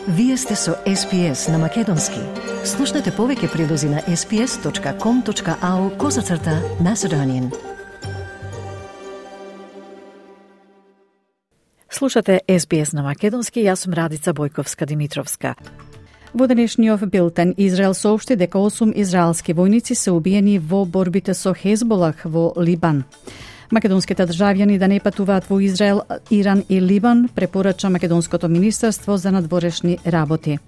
Вие сте со SPS на Македонски. Слушнете повеќе прилози на sps.com.au/Macedonian. Слушате SBS на Македонски, јас сум Радица Бојковска-Димитровска. Во денешниот билтен Израел соопшти дека 8 израелски војници се убиени во борбите со Хезболах во Либан. Македонските државјани да не патуваат во Израел, Иран и Либан, препорача Македонското министерство за надворешни работи.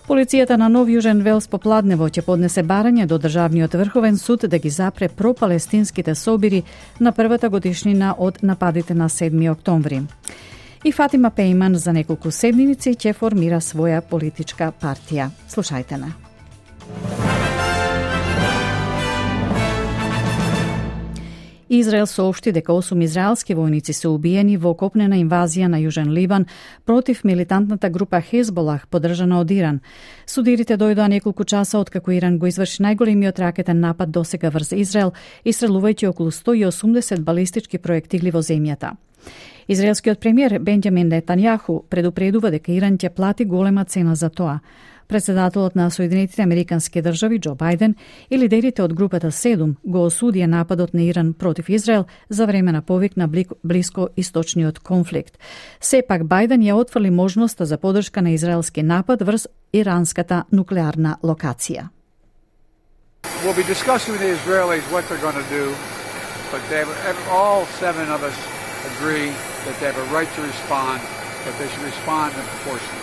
Полицијата на Нов Јужен Велс попладнево ќе поднесе барање до Државниот врховен суд да ги запре пропалестинските собири на првата годишнина од нападите на 7 октомври. И Фатима Пейман за неколку седмици ќе формира своја политичка партија. Слушајте на. Израел соопшти дека 8 израелски војници се убиени во копнена инвазија на Јужен Либан против милитантната група Хезболах, поддржана од Иран. Судирите дојдоа неколку часа откако Иран го изврши најголемиот ракетен напад досега врз Израел, истрелувајќи околу 180 балистички проектили во земјата. Израелскиот премиер Бенџамин Нетањаху предупредува дека Иран ќе плати голема цена за тоа. Председателот на Соединетите Американски држави Џо Бајден и лидерите од групата 7 го осудија нападот на Иран против Израел за време на повик на блиско-источниот конфликт. Сепак Бајден ја отфрли можноста за поддршка на израелски напад врз иранската нуклеарна локација. We'll be discussing with the Israelis what they're going to do, but all 7 of us agree that they have a right to respond, but they should respond in proportion.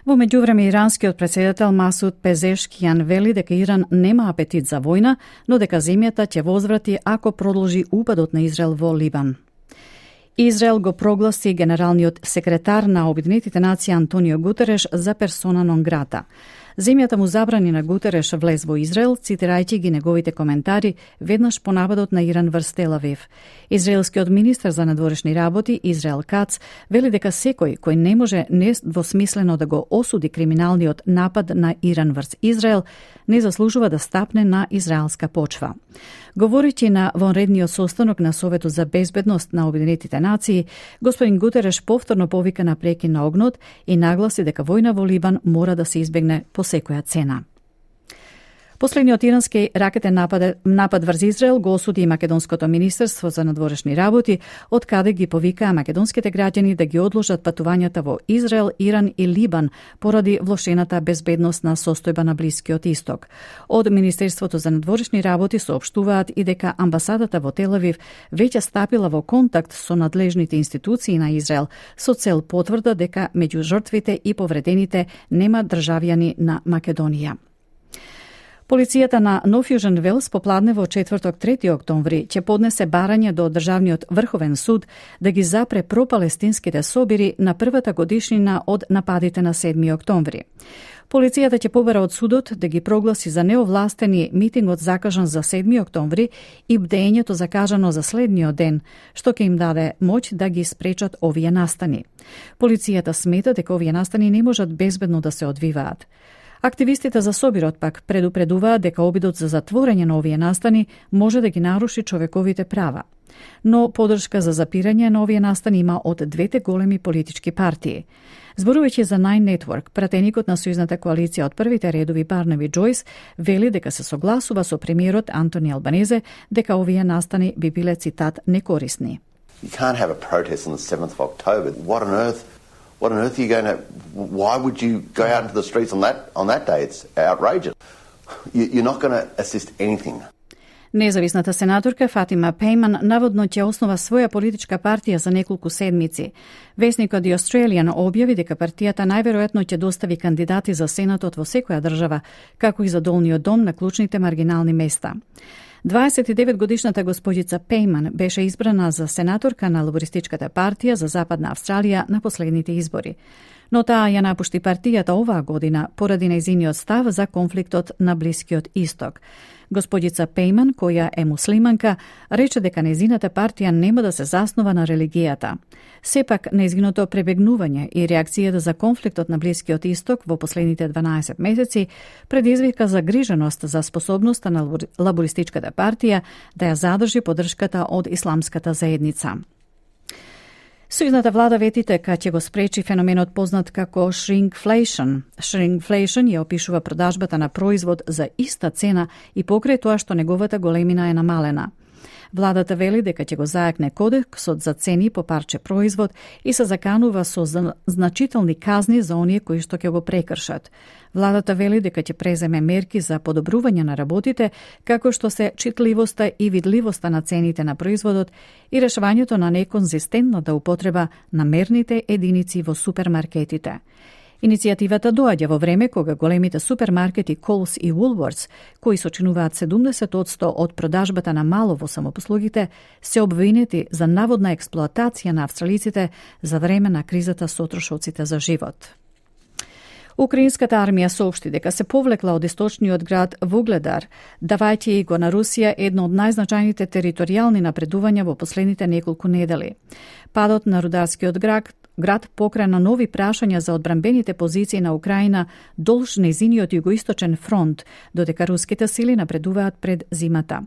Во меѓувреме, иранскиот претседател Масуд Пезешкијан вели дека Иран нема апетит за војна, но дека земјата ќе возврати ако продолжи упадот на Израел во Либан. Израел го прогласи генералниот секретар на Обединетите нации Антонио Гутереш за персона нон грата. Земјата му забрани на Гутереш влез во Израел, цитирајќи ги неговите коментари веднаш по нападот на Иран врз Тел Авив. Израелскиот министер за надворешни работи Израел Кац вели дека секој кој не може недвосмислено да го осуди криминалниот напад на Иран врз Израел, не заслужува да стапне на израелска почва. Говорејќи на вонредниот состанок на Советот за безбедност на Обединетите нации, господин Гутереш повторно повика на прекин на огнот и нагласи дека војна во Либан мора да се избегне по секоја цена. Последниот ирански ракетен напад врз Израел го осуди и Македонското министерство за надворешни работи, од каде ги повикаа македонските граѓани да ги одложат патувањата во Израел, Иран и Либан поради влошената безбедносна состојба на Блискиот Исток. Од Министерството за надворешни работи соопштуваат и дека амбасадата во Тел Авив веќе стапила во контакт со надлежните институции на Израел со цел потврда дека меѓу жртвите и повредените нема државјани на Македонија. Полицијата на Нов Јужен Велс попладне во четврток 3 октомври ќе поднесе барање до Државниот врховен суд да ги запре пропалестинските собири на првата годишнина од нападите на 7 октомври. Полицијата ќе побара од судот да ги прогласи за неовластени митингот закажан за 7 октомври и бдењето закажано за следниот ден, што ќе им даде моќ да ги спречат овие настани. Полицијата смета дека овие настани не можат безбедно да се одвиваат. Активистите за собирот пак предупредуваат дека обидот за затворање на овие настани може да ги наруши човековите права. Но поддршка за запирање на овие настани има од двете големи политички партии. Зборувајќи за Nine Network, пратеникот на сојузната коалиција од првите редови Барнаби Џојс вели дека се согласува со премиерот Антони Албанезе дека овие настани би биле, цитат, некорисни. You can't have a protest on the 7th of October. What on earth are you going to? Why would you go out into the streets on that day? It's outrageous. You're not going to assist anything. Независната сенаторка Фатима Пейман наводно ќе основа своја политичка партија за неколку седмици. Весникот The Australian објави дека партијата најверојатно ќе достави кандидати за сенатот во секоја држава, како и за долниот дом на клучните маргинални места. 29-годишната господица Пейман беше избрана за сенаторка на Лабористичката партија за Западна Австралија на последните избори. Но таа ја напушти партијата оваа година поради нејзиниот став за конфликтот на Блискиот Исток. Господица Пейман, која е муслиманка, рече дека нејзината партија нема да се заснова на религијата. Сепак, нејзиното пребегнување и реакцијата за конфликтот на Блискиот Исток во последните 12 месеци предизвика загриженост за способноста на Лабористичката партија да ја задржи поддршката од исламската заедница. Сојузната влада вети дека ќе го спречи феноменот познат како shrinkflation. Shrinkflation ја опишува продажбата на производ за иста цена и покрај тоа што неговата големина е намалена. Владата вели дека ќе го зајакне кодексот за цени по парче производ и се заканува со значителни казни за оние кои што ќе го прекршат. Владата вели дека ќе преземе мерки за подобрување на работите, како што се читливоста и видливоста на цените на производот и решавањето на неконзистентната употреба на мерните единици во супермаркетите. Иницијативата доаѓа во време кога големите супермаркети Coles и Woolworths, кои сочинуваат 70% од продажбата на мало во самопослугите, се обвинети за наводна експлоатација на австралиците за време на кризата со трошоците за живот. Украинската армија соопшти дека се повлекла од источниот град Вугледар, давајќи го на Русија едно од најзначајните територијални напредувања во последните неколку недели. Падот на рударскиот град покрена нови прашања за одбранбените позиции на Украина долж нејзиниот југоисточен фронт, додека руските сили напредуваат пред зимата.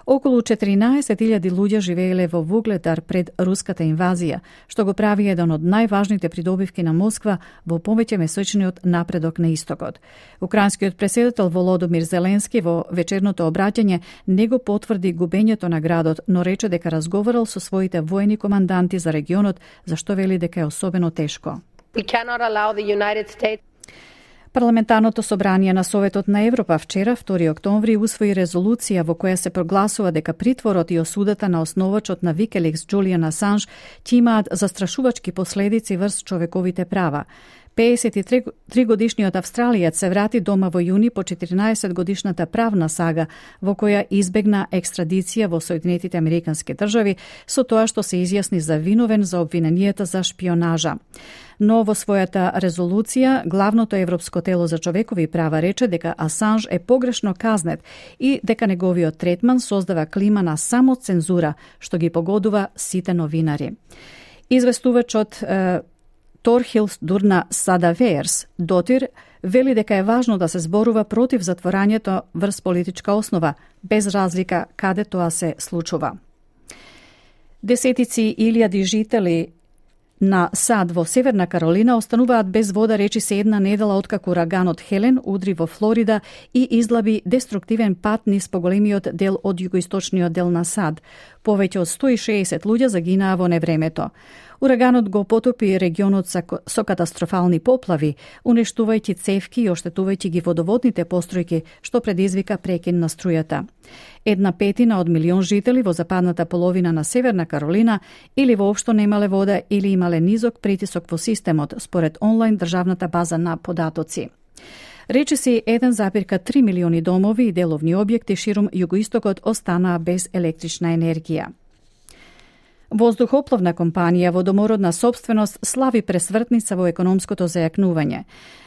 Околу 14.000 луѓе живееле во Вугледар пред руската инвазија, што го прави еден од најважните придобивки на Москва во повеќе месечниот напредок на истокот. Украинскиот претседател Володомир Зеленски во вечерното обраќање не го потврди губењето на градот, но рече дека разговарал со своите воени команданти за регионот, зашто вели дека е особено тешко. Парламентарното собрание на Советот на Европа вчера, 2 октомври, усвои резолуција во која се прогласува дека притворот и осудата на основачот на Wikileaks Джулијан Асанж ќе имаат застрашувачки последици врз човековите права. 53 годишниот австралијец се врати дома во јуни по 14 годишната правна сага во која избегна екстрадиција во Соединетите Американски држави со тоа што се изјасни за виновен за обвиненијата за шпионажа. Но во својата резолуција главното европско тело за човекови права рече дека Асанж е погрешно казнет и дека неговиот третман создава клима на самоцензура што ги погодува сите новинари. Известувачот Торхилс Дурна Садаверс дотир вели дека е важно да се зборува против затворањето врз политичка основа, без разлика каде тоа се случува. Десетици илјади жители на сад во Северна Каролина остануваат без вода речиси една недела откако ураганот Хелен удри во Флорида и излаби деструктивен пат низ поголемиот дел од југоисточниот дел на сад. Повеќе од 160 луѓе загинаа во невремето. Ураганот го потопи регионот со катастрофални поплави, уништувајќи цевки и оштетувајќи ги водоводните постројки, што предизвика прекин на струјата. 1/5 од милион жители во западната половина на Северна Каролина или воопшто немале вода или имале низок притисок во системот, според онлайн државната база на податоци. Речиси 1,3 милиони домови и деловни објекти ширум југоистокот останаа без електрична енергија. Воздухопловна компанија во домородна собственост слави пресвртница во економското зајакнување.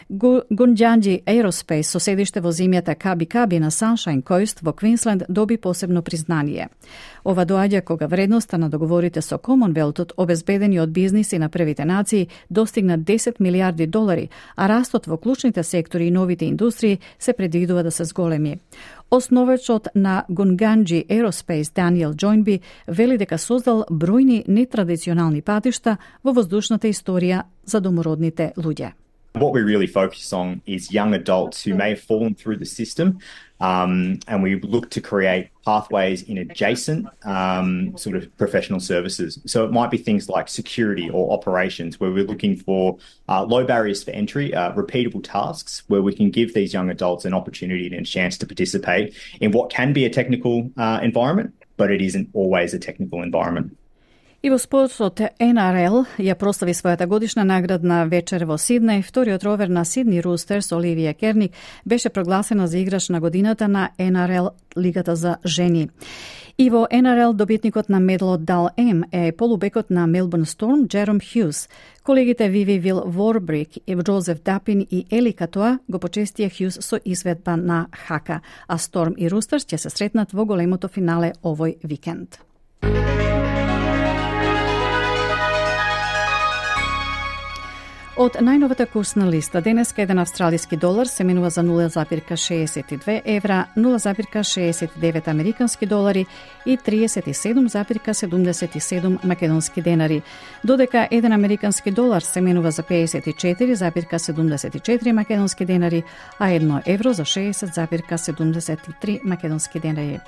Гунџанџи Aerospace со седиште во земјата Каби на Sunshine Coast во Квинсленд доби посебно признание. Ова доаѓа кога вредноста на договорите со Комонвелтот, обезбедени од бизниси на првите нации, достигна 10 милиарди долари, а растот во клучните сектори и новите индустрии се предвидува да се зголеми. Основачот на Гунџанџи Aerospace Даниел Джојнби вели дека создал бројни нетрадиционални патишта во воздушната историја за домородните луѓе. What we really focus on is young adults who may have fallen through the system, and we look to create pathways in adjacent sort of professional services. So it might be things like security or operations, where we're looking for low barriers for entry, repeatable tasks, where we can give these young adults an opportunity and a chance to participate in what can be a technical environment, but it isn't always a technical environment. И во спортот NRL ја прослави својата годишна наградна вечер во Сиднеј. Вториот ровер на Сидни Рустерс, Оливија Керник, беше прогласена за играч на годината на NRL Лигата за жени. И во NRL добитникот на медалот Дал М е полубекот на Мелбурн Сторм Джером Хјус. Колегите Виви Вил Ворбрик, Джозеф Дапин и Ели Катоа го почестија Хјус со изведба на хака, а Сторм и Рустерс ќе се сретнат во големото финале овој викенд. Од најновата курсна листа, денеска еден австралиски долар се менува за 0,62 евра, 0,69 американски долари и 37,77 македонски денари, додека еден американски долар се менува за 54,74 македонски денари, а 1 евро за 60,73 македонски денари.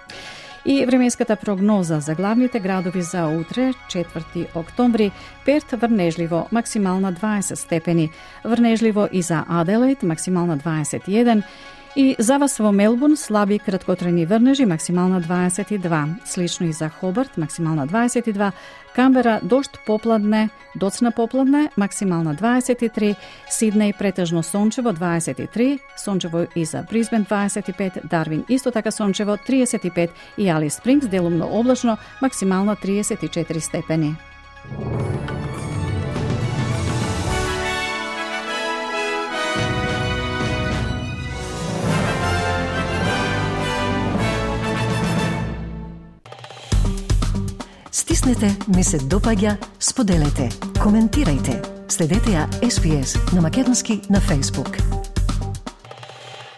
И временската прогноза за главните градови за утре, 4 октомври: Перт врнежливо, максимална 20 степени, врнежливо и за Аделаид, максимална 21, и за вас во Мелбурн слаби краткотрajни врнежи, максимална 22, слично и за Хобарт, максимална 22, Камбера дожд попладне, доцна попладне, максимална 23, Сиднеј претежно сончево 23, сончево и за Брисбен 25, Дарвин исто така сончево 35 и Алис Спрингс делумно облачно, максимална 34 степени. Стиснете, ми се допаѓа, споделете, коментирајте. Следете ја SPS на Македонски на Facebook.